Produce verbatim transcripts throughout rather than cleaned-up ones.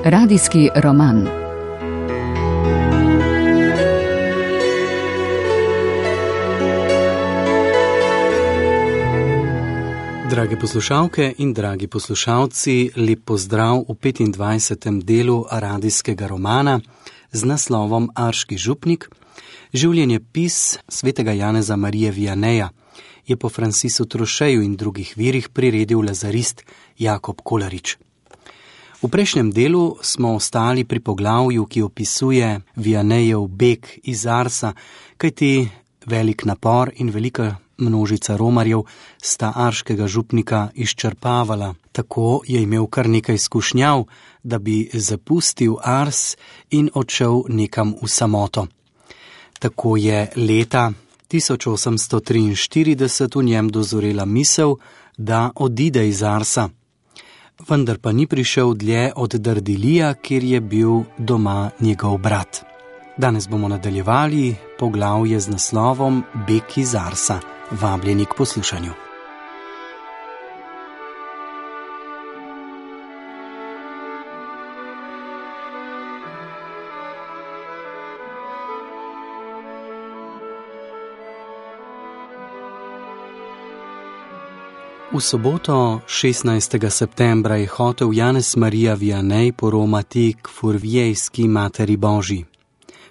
Radijski roman. Drage poslušalke in dragi poslušalci, lep pozdrav v petindvajsetem delu radijskega romana z naslovom Arški župnik. Življenjepis svetega Janeza Marije Vianeja je po Francisu Trošeju in drugih virih priredil lazarist Jakob Kolarič. V prejšnjem delu smo ostali pri poglavju, ki opisuje Vianejev beg iz Arsa, kajti velik napor in velika množica romarjev sta arškega župnika izčrpavala. Tako je imel kar nekaj izkušnjav, da bi zapustil Ars in odšel nekam v samoto. Tako je leta tisoč osemsto triinštirideset v njem dozorela misel, da odide iz Arsa. Vendar pa ni prišel dlje od Dardilija, kjer je bil doma njegov brat. Danes bomo nadaljevali poglavje z naslovom Beg iz Arsa. Vabljeni k poslušanju. V soboto šestnajstega septembra je hotel Janez Marija Vianej poromati k Furviejski materi Božji.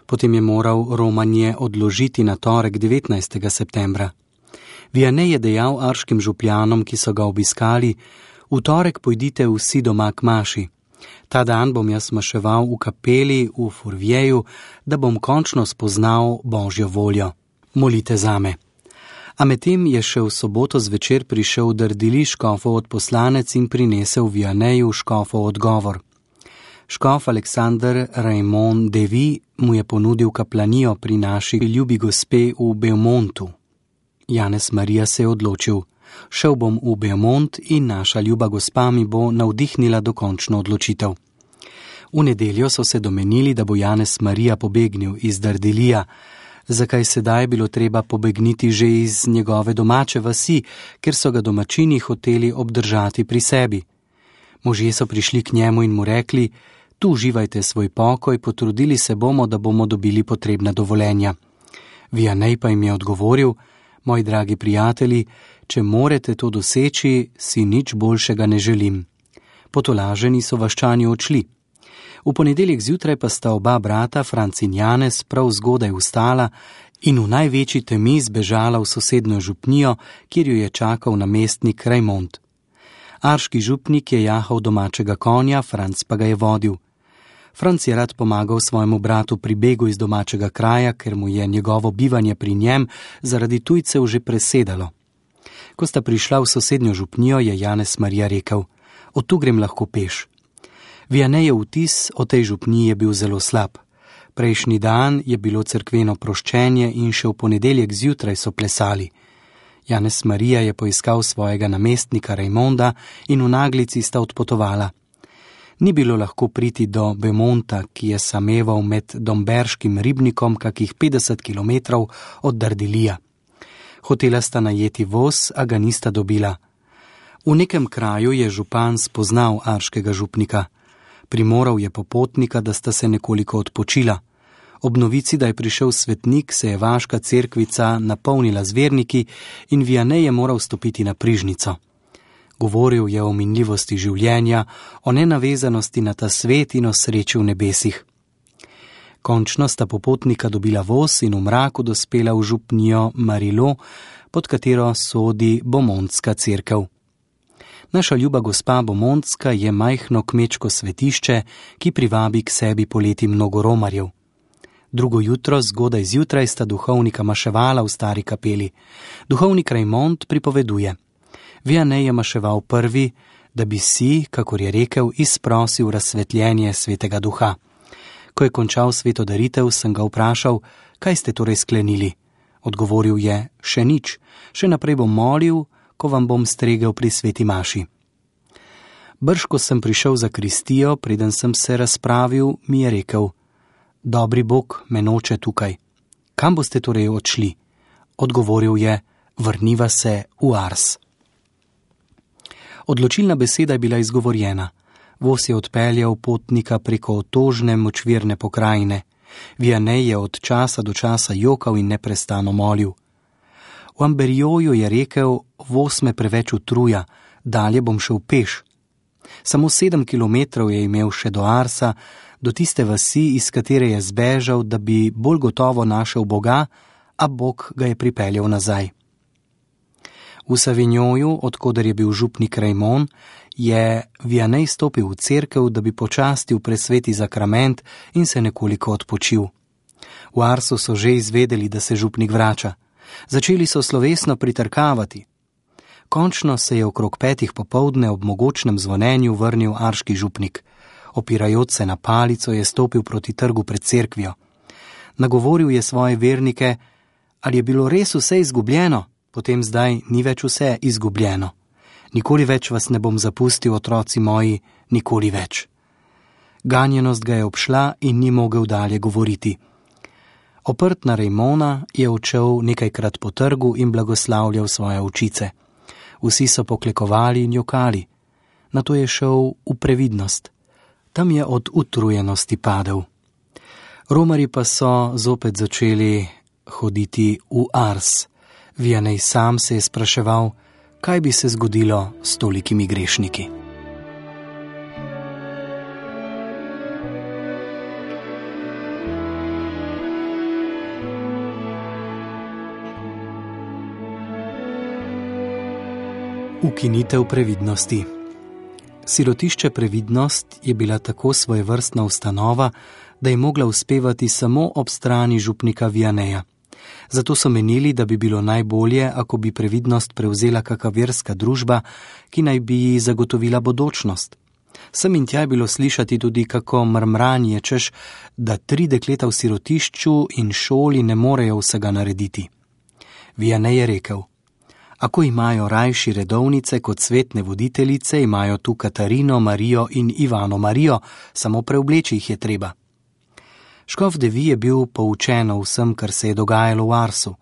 Potem je moral romanje odložiti na torek devetnajstega septembra. Vianej je dejal arškim župljanom, ki so ga obiskali: v torek pojdite vsi doma k maši. Ta dan bom jaz maševal v kapeli v Furvieju, da bom končno spoznal Božjo voljo. Molite zame. A medtem je še v soboto zvečer prišel Dardili škofov odposlanec in prinesel Vianeju škofov odgovor. Škof Aleksander Raymond Devy mu je ponudil kaplanijo pri naši ljubi gospe v Beaumontu. Janez Marija se je odločil: šel bom v Beaumont in naša ljuba gospa mi bo navdihnila dokončno odločitev. V nedeljo so se domenili, da bo Janez Marija pobegnil iz Dardilija. Zakaj sedaj bilo treba pobegniti že iz njegove domače vasi, ker so ga domačini hoteli obdržati pri sebi? Možje so prišli k njemu in mu rekli: tu uživajte svoj pokoj, potrudili se bomo, da bomo dobili potrebna dovoljenja. Vianej pa jim je odgovoril: moji dragi prijatelji, če morete to doseči, si nič boljšega ne želim. Potolaženi so vaščani odšli. V ponedeljek zjutraj pa sta oba brata, Franc in Janez, prav zgodaj vstala in v največji temi zbežala v sosednjo župnijo, kjer jo je čakal namestnik Raymond. Arški župnik je jahal domačega konja, Franc pa ga je vodil. Franc je rad pomagal svojemu bratu pri begu iz domačega kraja, ker mu je njegovo bivanje pri njem zaradi tujcev že presedalo. Ko sta prišla v sosednjo župnijo, je Janez Marija rekel: od tu grem lahko peš. Vianejev vtis o tej župniji je bil zelo slab. Prejšnji dan je bilo cerkveno proščenje in še v ponedeljek zjutraj so plesali. Janez Marija je poiskal svojega namestnika Raymonda in v naglici sta odpotovala. Ni bilo lahko priti do Beaumonta, ki je sameval med Domberškim ribnikom kakih petdeset kilometrov od Dardilija. Hotela sta najeti voz, a ga nista dobila. V nekem kraju je župan spoznal arškega župnika. Primoral je popotnika, da sta se nekoliko odpočila. Ob novici, da je prišel svetnik, se je vaška cerkvica napolnila z verniki in Vianej je moral stopiti na prižnico. Govoril je o minljivosti življenja, o nenavezanosti na ta svet in o sreči v nebesih. Končno sta popotnika dobila voz in v mraku dospela v župnijo Marilo, pod katero sodi Beaumontska cerkev. Naša ljuba gospa Beaumontska je majhno kmečko svetišče, ki privabi k sebi poleti mnogo romarjev. Drugo jutro, zgodaj zjutraj, sta duhovnika maševala v stari kapeli. Duhovnik Raymond pripoveduje: Vianej je maševal prvi, da bi si, kakor je rekel, izprosil razsvetljenje svetega duha. Ko je končal sveto daritev, sem ga vprašal: kaj ste torej sklenili? Odgovoril je: še nič, še naprej bom molil, ko vam bom stregel pri sveti maši. Brž, ko sem prišel za kristijo, preden sem se razpravil, mi je rekel: dobri Bog me noče tukaj. Kam boste torej odšli? Odgovoril je: vrniva se v Ars. Odločilna beseda je bila izgovorjena. Voz je odpeljal potnika preko otožne močvirne pokrajine. Vianney je od časa do časa jokal in neprestano molil. V Amberijoju je rekel, voz me preveč utruja, dalje bom šel peš. Samo sedem kilometrov je imel še do Arsa, do tiste vasi, iz katere je zbežal, da bi bolj gotovo našel Boga, a Bog ga je pripeljal nazaj. V Savignoju, odkoder je bil župnik Raymond, je Vianney stopil v cerkev, da bi počastil presveti zakrament in se nekoliko odpočil. V Arsu so že izvedeli, da se župnik vrača. Začeli so slovesno pritrkavati. Končno se je okrog petih popoldne ob mogočnem zvonenju vrnil arški župnik. Opirajoč se na palico je stopil proti trgu pred cerkvijo. Nagovoril je svoje vernike, ali je bilo res vse izgubljeno, potem zdaj ni več vse izgubljeno. Nikoli več vas ne bom zapustil, otroci moji, nikoli več. Ganjenost ga je obšla in ni mogel dalje govoriti. Oprt na Raymonda je odšel nekajkrat po trgu in blagoslavljal svoje očice. Vsi so poklekovali in jokali. Nato je šel v previdnost. Tam je od utrujenosti padel. Romarji pa so zopet začeli hoditi v Ars. Vianney sam se je spraševal, kaj bi se zgodilo s tolikimi grešniki. Ukinitev previdnosti. Sirotišče Previdnost je bila tako svojevrstna ustanova, da je mogla uspevati samo ob strani župnika Vianneya. Zato so menili, da bi bilo najbolje, ako bi Previdnost prevzela kakšna verska družba, ki naj bi ji zagotovila bodočnost. Sem in tja je bilo slišati tudi kako mrmranje, češ, da tri dekleta v sirotišču in šoli ne morejo vsega narediti. Vianney je rekel: Ako imajo rajši redovnice kot svetne voditeljice, imajo tu Katarino, Marijo in Ivano Marijo, samo preobleči jih je treba. Škof Devi je bil poučen o vsem, kar se je dogajalo v Arsu.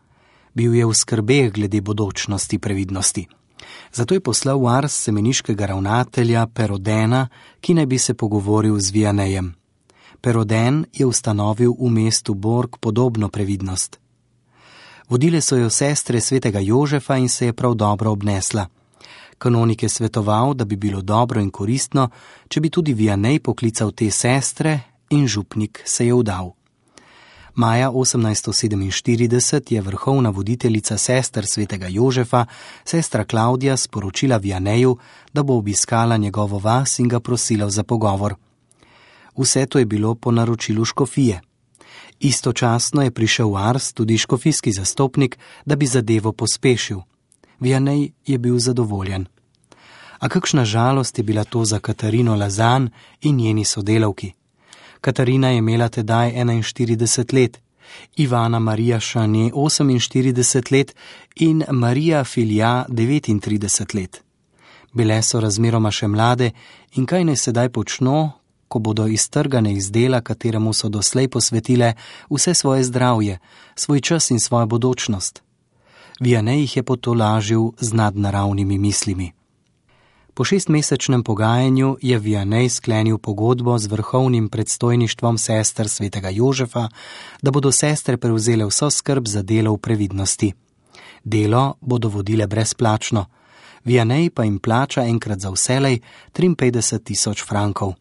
Bil je v skrbeh glede bodočnosti Previdnosti. Zato je poslal v Ars semeniškega ravnatelja Perodena, ki naj bi se pogovoril z Vianneyem. Peroden je ustanovil v mestu Borg podobno Previdnost. Vodile so jo sestre svetega Jožefa in se je prav dobro obnesla. Kanonik je svetoval, da bi bilo dobro in koristno, če bi tudi Vianney poklical te sestre, in župnik se je vdal. Maja osemnajststo sedeminštirideset je vrhovna voditeljica sester svetega Jožefa, sestra Klaudija, sporočila Vianneyu, da bo obiskala njegovo vas in ga prosila za pogovor. Vse to je bilo po naročilu škofije. Istočasno je prišel v Ars tudi škofijski zastopnik, da bi zadevo pospešil. Vianney je bil zadovoljen. A kakšna žalost je bila to za Katarino Lazan in njeni sodelavki. Katarina je imela tedaj enainštirideset let, Ivana Marija Šanje oseminštirideset let in Marija Filja devetintrideset let. Bile so razmeroma še mlade in kaj naj sedaj počno, ko bodo iztrgane iz dela, kateremu so doslej posvetile vse svoje zdravje, svoj čas in svojo bodočnost. Vianney jih je potolažil z nadnaravnimi mislimi. Po šestmesečnem pogajanju je Vianney sklenil pogodbo z vrhovnim predstojništvom sester svetega Jožefa, da bodo sestre prevzele vso skrb za delo v Previdnosti. Delo bodo vodile brezplačno. Vianney pa jim plača enkrat za vselej triinpetdeset tisoč frankov.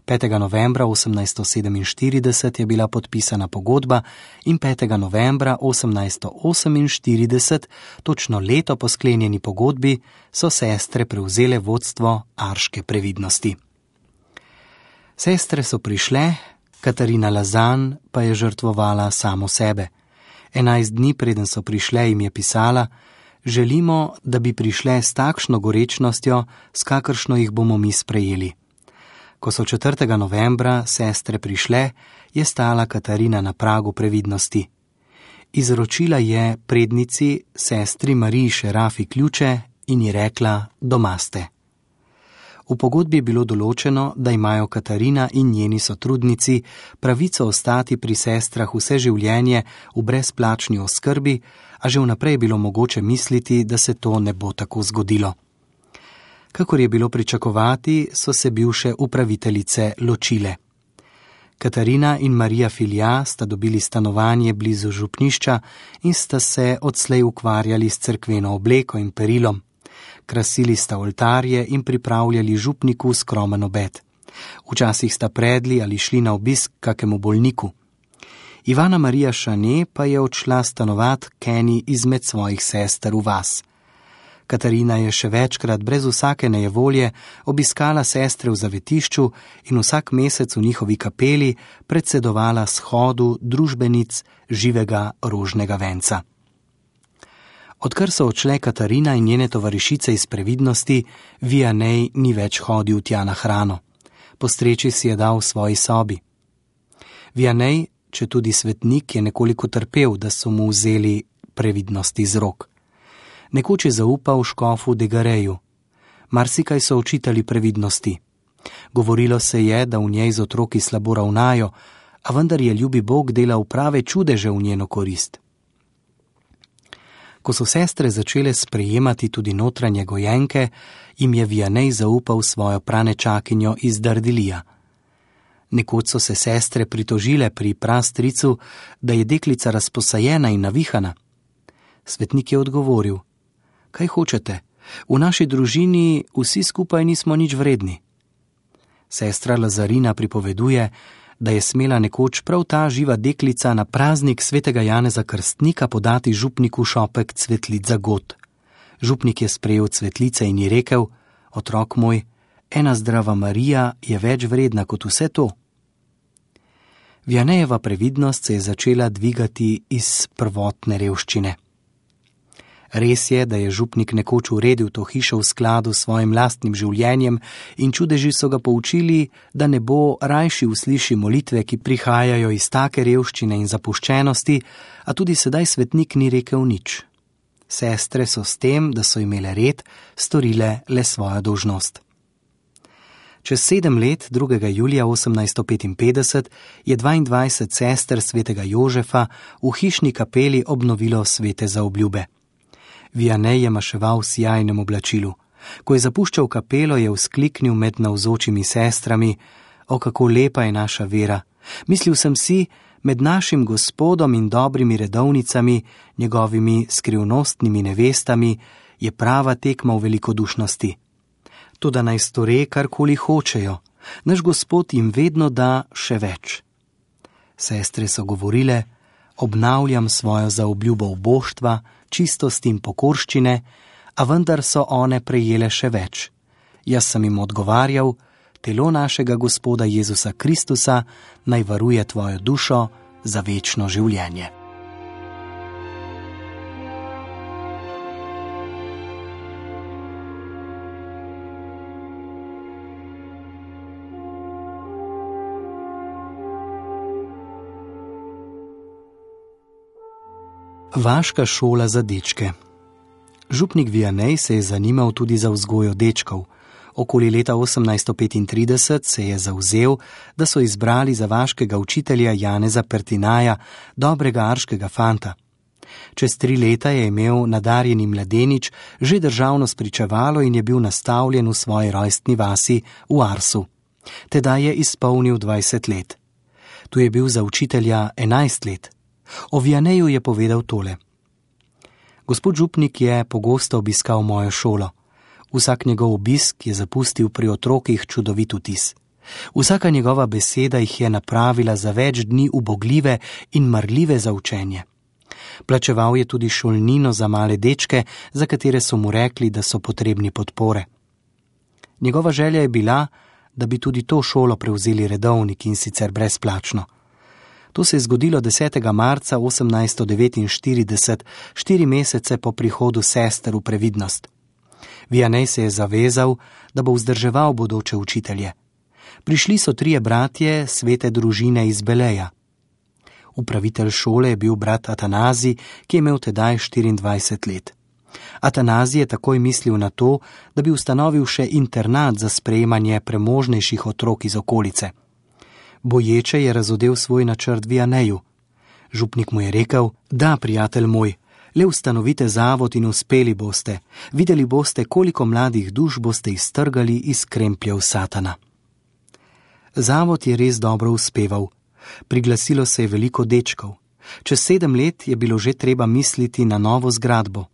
petega novembra osemnajststo sedeminštirideset je bila podpisana pogodba in petega novembra osemnajststo oseminštirideset, točno leto po sklenjeni pogodbi, so sestre prevzele vodstvo arške Previdnosti. Sestre so prišle, Katarina Lazan pa je žrtvovala samo sebe. Enajst dni preden so prišle, jim je pisala: želimo, da bi prišle s takšno gorečnostjo, s kakršno jih bomo mi sprejeli. Ko so četrtega novembra sestre prišle, je stala Katarina na pragu Previdnosti. Izročila je prednici sestri Mariji Šerafi ključe in ji rekla: doma ste. V pogodbi je bilo določeno, da imajo Katarina in njeni sotrudnici pravico ostati pri sestrah vse življenje v brezplačni oskrbi, a že vnaprej je bilo mogoče misliti, da se to ne bo tako zgodilo. Kakor je bilo pričakovati, so se bivše upraviteljice ločile. Katarina in Marija Filja sta dobili stanovanje blizu župnišča in sta se odslej ukvarjali s cerkveno obleko in perilom. Krasili sta oltarje in pripravljali župniku skromen obed. Včasih sta predli ali šli na obisk kakemu bolniku. Ivana Marija Šane pa je odšla stanovat k eni izmed svojih sester v vas. Katarina je še večkrat brez vsake nejevolje obiskala sestre v zavetišču in vsak mesec v njihovi kapeli predsedovala shodu družbenic živega rožnega venca. Odkar so odšle Katarina in njene tovarišice iz previdnosti, Vianney ni več hodil tja na hrano. Postreči si je dal v svoji sobi. Vianney, če tudi svetnik, je nekoliko trpel, da so mu vzeli previdnosti z rok. Nekoč je zaupal škofu Degareju. Marsikaj so očitali previdnosti. Govorilo se je, da v njej z otroki slabo ravnajo, a vendar je ljubi Bog delal prave čudeže v njeno korist. Ko so sestre začele sprejemati tudi notranje gojenke, jim je Vianney zaupal svojo pranečakinjo iz Dardilija. Nekoč so se sestre pritožile pri prastricu, da je deklica razposajena in navihana. Svetnik je odgovoril: kaj hočete, v naši družini vsi skupaj nismo nič vredni. Sestra Lazarina pripoveduje, da je smela nekoč prav ta živa deklica na praznik svetega Janeza Krstnika podati župniku šopek cvetlic za god. Župnik je sprejel cvetlice in ji rekel: otrok moj, ena zdrava Marija je več vredna kot vse to. Vianneyjeva previdnost se je začela dvigati iz prvotne revščine. Res je, da je župnik nekoč uredil to hišo v skladu s svojim lastnim življenjem in čudeži so ga poučili, da ne bo rajši usliši molitve, ki prihajajo iz take revščine in zapuščenosti, a tudi sedaj svetnik ni rekel nič. Sestre so s tem, da so imele red, storile le svojo dolžnost. Čez sedem let, drugega julija osemnajststo petinpetdeset, je dvaindvajset sester svetega Jožefa v hišni kapeli obnovilo svete zaobljube. Vianney je maševal v sijajnem oblačilu. Ko je zapuščal kapelo, je vzkliknil med navzočimi sestrami: o, kako lepa je naša vera! Mislil sem si, med našim Gospodom in dobrimi redovnicami, njegovimi skrivnostnimi nevestami, je prava tekma v velikodušnosti. Toda naj store, karkoli hočejo, naš Gospod jim vedno da še več. Sestre so govorile: obnavljam svojo zaobljubo uboštva, čistosti in pokorščine, a vendar so one prejele še več. Jaz sem jim odgovarjal: telo našega Gospoda Jezusa Kristusa naj varuje tvojo dušo za večno življenje. Vaška šola za dečke. Župnik Vianney se je zanimal tudi za vzgojo dečkov. Okoli leta osemnajststo petintrideset se je zavzel, da so izbrali za vaškega učitelja Janeza Pertinaja, dobrega arškega fanta. Čez tri leta je imel nadarjeni mladenič že državno spričevalo in je bil nastavljen v svoji rojstni vasi v Arsu. Tedaj je izpolnil dvajset let. Tu je bil za učitelja enajst let. O Vianneyju je povedal tole: gospod župnik je pogosto obiskal mojo šolo. Vsak njegov obisk je zapustil pri otrokih čudovit vtis. Vsaka njegova beseda jih je napravila za več dni ubogljive in marljive za učenje. Plačeval je tudi šolnino za male dečke, za katere so mu rekli, da so potrebni podpore. Njegova želja je bila, da bi tudi to šolo prevzeli redovniki in sicer brezplačno. To se je zgodilo desetega marca osemnajststo devetinštirideset, štiri mesece po prihodu sester v previdnost. Vianney se je zavezal, da bo vzdrževal bodoče učitelje. Prišli so trije bratje svete družine iz Beleja. Upravitelj šole je bil brat Atanazij, ki je imel tedaj štiriindvajset let. Atanazij je takoj mislil na to, da bi ustanovil še internat za sprejemanje premožnejših otrok iz okolice. Boječe je razodel svoj načrt Vianneyju. Župnik mu je rekel: da, prijatelj moj, Le ustanovite zavod in uspeli boste, videli boste, koliko mladih duš boste iztrgali iz krempljev Satana. Zavod je res dobro uspeval. Priglasilo se je veliko dečkov. Čez sedem let je bilo že treba misliti na novo zgradbo.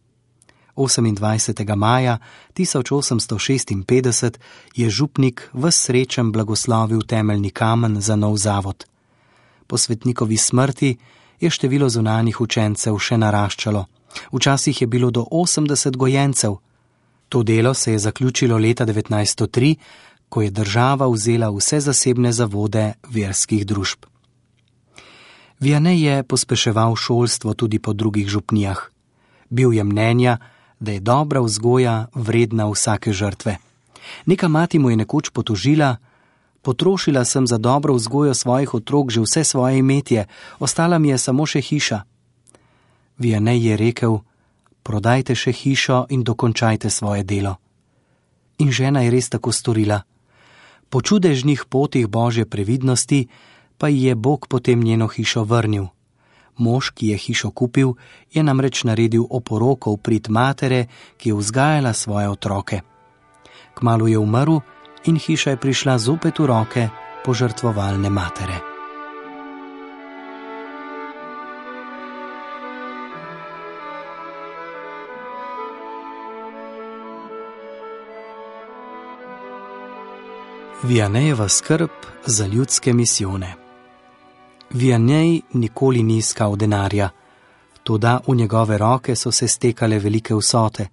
osemindvajsetega maja tisoč osemsto šestinpetdeset je župnik ves srečen blagoslovil temeljni kamen za nov zavod. Po svetnikovi smrti je število zunanjih učencev še naraščalo. Včasih je bilo do osemdeset gojencev. To delo se je zaključilo leta devetnajststo tri, ko je država vzela vse zasebne zavode verskih družb. Vianney je pospeševal šolstvo tudi po drugih župnijah. Bil je mnenja, da je dobra vzgoja vredna vsake žrtve. Neka mati mu je nekoč potožila: potrošila sem za dobro vzgojo svojih otrok že vse svoje imetje, ostala mi je samo še hiša. Vianney je rekel: prodajte še hišo in dokončajte svoje delo. In žena je res tako storila. Po čudežnih potih Božje previdnosti pa ji je Bog potem njeno hišo vrnil. Mož, ki je hišo kupil, je namreč naredil oporoko v prid matere, ki je vzgajala svoje otroke. Kmalu je umrl in hiša je prišla zopet v roke požrtvovalne matere. Vianneyjeva skrb za ljudske misijone. Vianney nikoli ni iskal denarja, toda v njegove roke so se stekale velike vsote.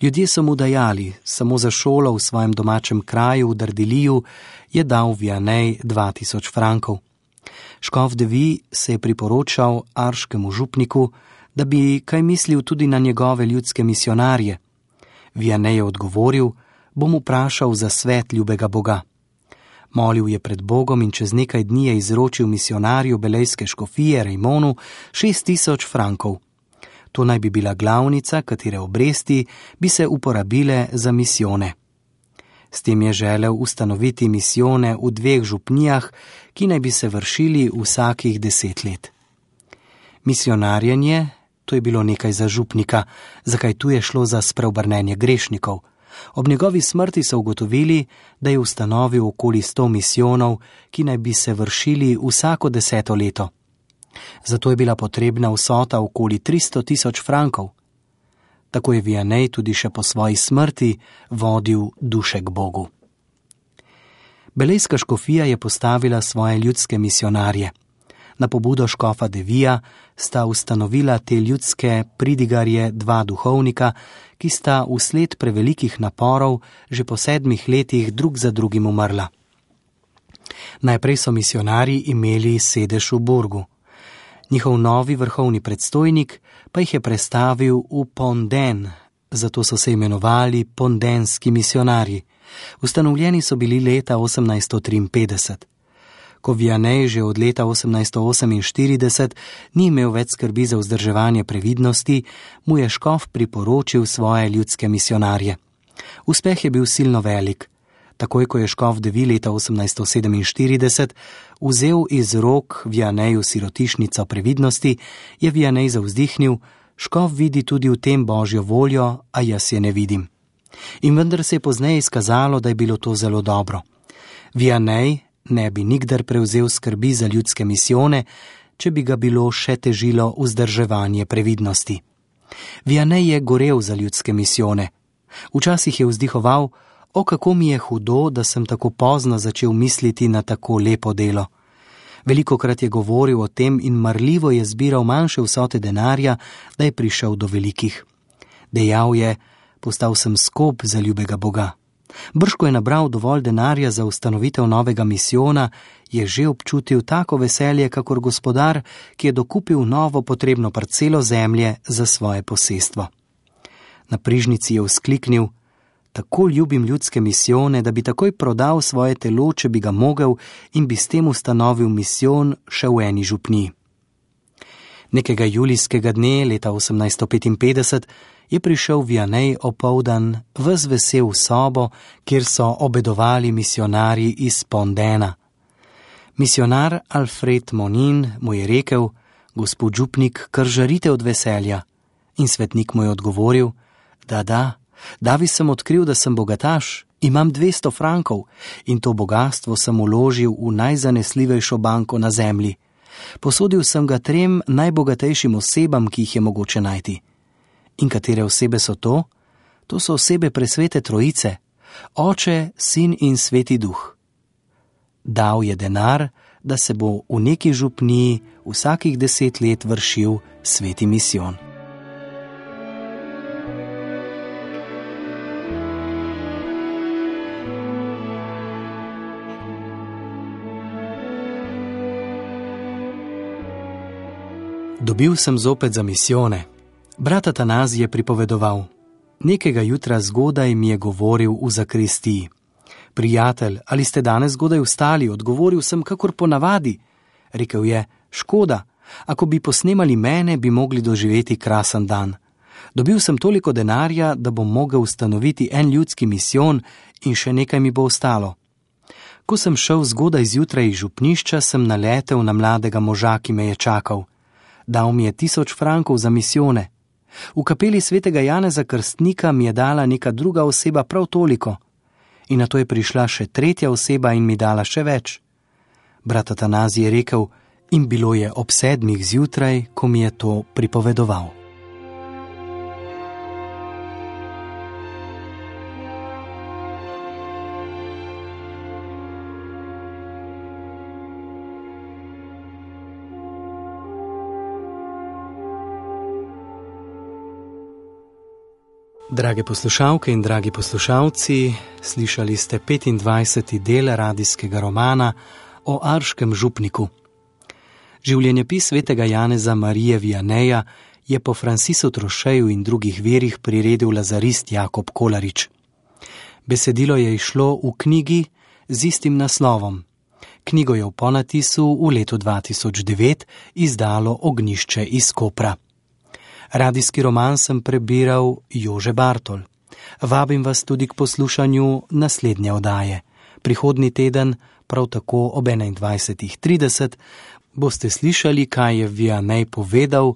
Ljudje so mu dajali, samo za šolo v svojem domačem kraju v Dardiliju je dal Vianney dva tisoč frankov. Škof de Vie se je priporočal arškemu župniku, da bi kaj mislil tudi na njegove ljudske misionarje. Vianney je odgovoril: bom vprašal za svet ljubega Boga. Molil je pred Bogom in čez nekaj dni je izročil misionarju belejske škofije Raimonu šest tisoč frankov. To naj bi bila glavnica, katere obresti bi se uporabile za misijone. S tem je želel ustanoviti misijone v dveh župnijah, ki naj bi se vršili vsakih deset let. Misionarjenje, to je bilo nekaj za župnika, zakaj tu je šlo za spreobrnenje grešnikov. Ob njegovi smrti so ugotovili, da je ustanovil okoli sto misijonov, ki naj bi se vršili vsako deseto leto. Zato je bila potrebna vsota okoli tristo tisoč frankov. Tako je Vianney tudi še po svoji smrti vodil duše k Bogu. Belejska škofija je postavila svoje ljudske misionarje. Na pobudo škofa de Vija sta ustanovila te ljudske pridigarje dva duhovnika, ki sta vsled prevelikih naporov že po sedmih letih drug za drugim umrla. Najprej so misionarji imeli sedež v Burgu. Njihov novi vrhovni predstojnik pa jih je prestavil v Ponden, zato so se imenovali pondenski misionarji. Ustanovljeni so bili leta osemnajststo triinpetdeset. Ko Vianney že od leta osemnajststo oseminštirideset ni imel več skrbi za vzdrževanje previdnosti, mu je škof priporočil svoje ljudske misionarje. Uspeh je bil silno velik. Takoj, ko je škof de Vie leta osemnajststo sedeminštirideset vzel iz rok Vianneyju sirotišnico previdnosti, je Vianney zavzdihnil: škof vidi tudi v tem Božjo voljo, a jaz je ne vidim. In vendar se je pozneje izkazalo, da je bilo to zelo dobro. Vianney ne bi nikdar prevzel skrbi za ljudske misijone, če bi ga bilo še težilo vzdrževanje previdnosti. Vianney je gorel za ljudske misijone. Včasih je vzdihoval: o, kako mi je hudo, da sem tako pozno začel misliti na tako lepo delo. Velikokrat je govoril o tem in marljivo je zbiral manjše vsote denarja, da je prišel do velikih. Dejal je: postal sem skop za ljubega Boga. Brž ko je nabral dovolj denarja za ustanovitev novega misijona, je že občutil tako veselje kakor gospodar, ki je dokupil novo potrebno parcelo zemlje za svoje posestvo. Na prižnici je vzkliknil: tako ljubim ljudske misijone, da bi takoj prodal svoje telo, če bi ga mogel, in bi s tem ustanovil misijon še v eni župniji. Nekega julijskega dne leta osemnajststo petinpetdeset je prišel Vianney opoldan ves vesel v sobo, kjer so obedovali misionarji iz Pondena. Misionar Alfred Monin mu je rekel: gospod župnik, kar žarite od veselja. In svetnik mu je odgovoril: Da, da, davi sem odkril, da sem bogataš, imam dvesto frankov in to bogastvo sem vložil v najzanesljivejšo banko na zemlji. Posodil sem ga trem najbogatejšim osebam, ki jih je mogoče najti. In katere osebe so to? To so osebe presvete trojice, Oče, Sin in Sveti Duh. Dal je denar, da se bo v neki župniji vsakih deset let vršil sveti misijon. Dobil sem zopet za misijone. Brat Atanazij je pripovedoval: Nekega jutra zgodaj mi je govoril v zakristiji. Prijatelj, ali ste danes zgodaj vstali? Odgovoril sem, kakor ponavadi. Rekel je: škoda, ako bi posnemali mene, bi mogli doživeti krasen dan. Dobil sem toliko denarja, da bom mogel ustanoviti en ljudski misijon in še nekaj mi bo ostalo. Ko sem šel zgodaj zjutraj iz župnišča, sem naletel na mladega moža, ki me je čakal. Dal mi je tisoč frankov za misijone. V kapeli svetega Janeza Krstnika mi je dala neka druga oseba prav toliko. In nato je prišla še tretja oseba in mi dala še več. Brat Atanazij je rekel: in bilo je ob sedmih zjutraj, ko mi je to pripovedoval. Drage poslušalke in dragi poslušalci, slišali ste petindvajseti del radijskega romana o Arškem župniku. Življenjepis svetega Janeza Marije Vianeja je po Francisu Trošeju in drugih virih priredil lazarist Jakob Kolarič. Besedilo je izšlo v knjigi z istim naslovom. Knjigo je v ponatisu v letu dva tisoč devet izdalo Ognjišče iz Kopra. Radijski roman sem prebiral Jože Bartol. Vabim vas tudi k poslušanju naslednje oddaje. Prihodnji teden, prav tako ob enaindvajsetih trideset, boste slišali, kaj je Vianney povedal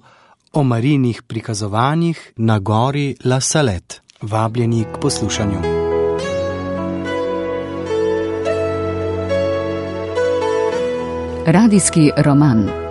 o Marijinih prikazovanjih na gori La Salette. Vabljeni k poslušanju. Radijski roman.